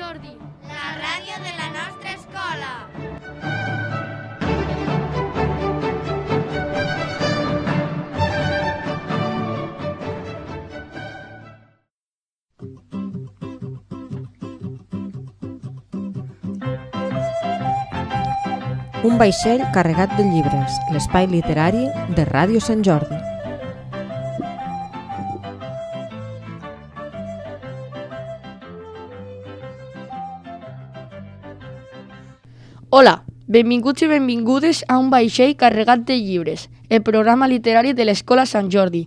Jordi, la ràdio de la nostra escola. Un vaixell carregat de llibres, l'espai literari de Ràdio Sant Jordi. Hola, benvinguts i benvingudes a un vaixell carregat de llibres, el programa literari de l'Escola Sant Jordi.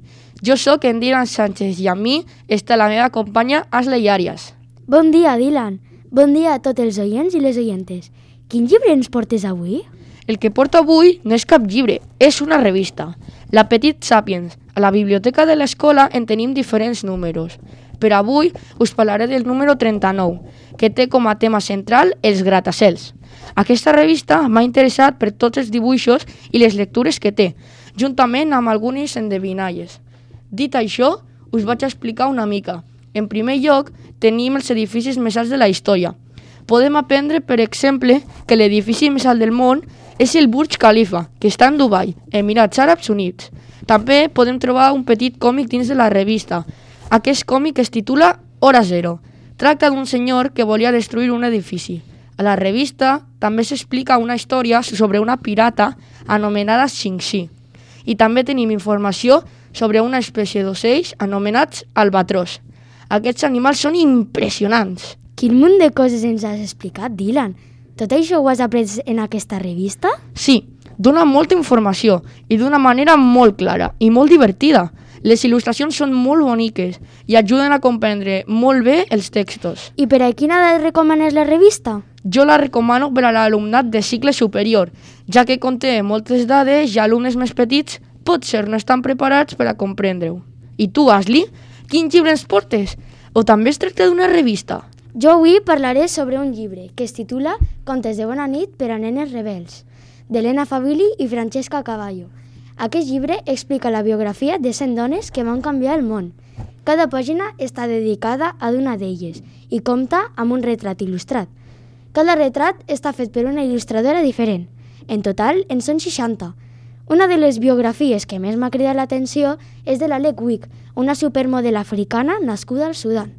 Jo sóc en Dylan Sánchez i amb mi està la meva companya Ashley Arias. Bon dia, Dylan. Bon dia a tots els oients i les oientes. Quin llibre ens portes avui? El que porto avui no és cap llibre, és una revista. La Petit Sapiens. A la biblioteca de l'escola en tenim diferents números. Per avui us parlaré del número 39, que té com a tema central els gratacels. Aquesta revista m'ha interessat per tots els dibuixos i les lectures que té, juntament amb algunes endevinalles. Dit això, us vaig explicar una mica. En primer lloc, tenim els edificis més alts de la història. Podem aprendre, per exemple, que l'edifici més alt del món és el Burj Khalifa, que està en Dubai, Emirats Àrabs Units. També podem trobar un petit còmic dins de la revista. Aquest còmic es titula Hora Zero. Tracta d'un senyor que volia destruir un edifici. A la revista també s'explica una història sobre una pirata anomenada Xingxi. I també tenim informació sobre una espècie d'ocells anomenats albatros. Aquests animals són impressionants. Quin munt de coses ens has explicat, Dylan. Tot això ho has après en aquesta revista? Sí, dona molta informació i d'una manera molt clara i molt divertida. Les il·lustracions són molt boniques i ajuden a comprendre molt bé els textos. I per a quina edat recomanes la revista? Jo la recomano per a l'alumnat de cicle superior, ja que conté moltes dades i alumnes més petits potser no estan preparats per a comprendre-ho. I tu, Ashley, quin llibre ens portes? O també es tracta d'una revista? Jo avui parlaré sobre un llibre que es titula Contes de bona nit per a nenes rebels, d'Elena Favilli i Francesca Cavallo. Aquest llibre explica la biografia de 100 dones que van canviar el món. Cada pàgina està dedicada a una d'elles i compta amb un retrat il·lustrat. Cada retrat està fet per una il·lustradora diferent. En total, en són 60. Una de les biografies que més m'ha cridat l'atenció és de l'Alec Wick, una supermodel africana nascuda al Sudan.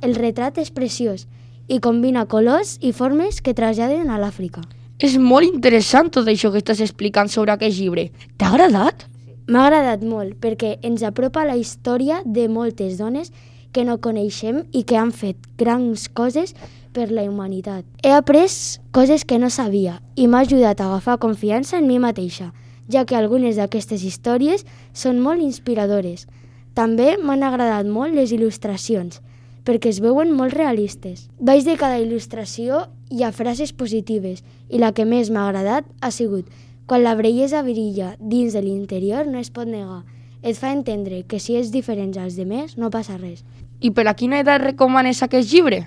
El retrat és preciós i combina colors i formes que traslladen a l'Àfrica. És molt interessant tot això que estàs explicant sobre aquest llibre. T'ha agradat? M'ha agradat molt perquè ens apropa la història de moltes dones que no coneixem i que han fet grans coses per la humanitat. He après coses que no sabia i m'ha ajudat a agafar confiança en mi mateixa, ja que algunes d'aquestes històries són molt inspiradores. També m'han agradat molt les il·lustracions, perquè es veuen molt realistes. Baix de cada il·lustració hi ha frases positives i la que més m'ha agradat ha sigut quan la bellesa brilla dins de l'interior no es pot negar. Et fa entendre que si ets diferent als demés no passa res. I per a quina edat recomanes aquest llibre?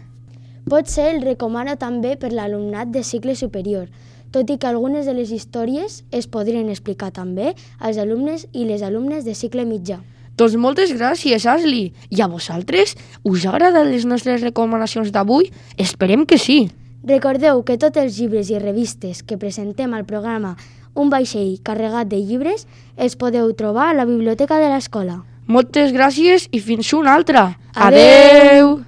Potser el recomano també per l'alumnat de cicle superior, tot i que algunes de les històries es podrien explicar també als alumnes i les alumnes de cicle mitjà. Doncs moltes gràcies, Ashley. I a vosaltres? Us agraden les nostres recomanacions d'avui? Esperem que sí. Recordeu que tots els llibres i revistes que presentem al programa Un vaixell carregat de llibres els podeu trobar a la biblioteca de l'escola. Moltes gràcies i fins una altra. Adeu!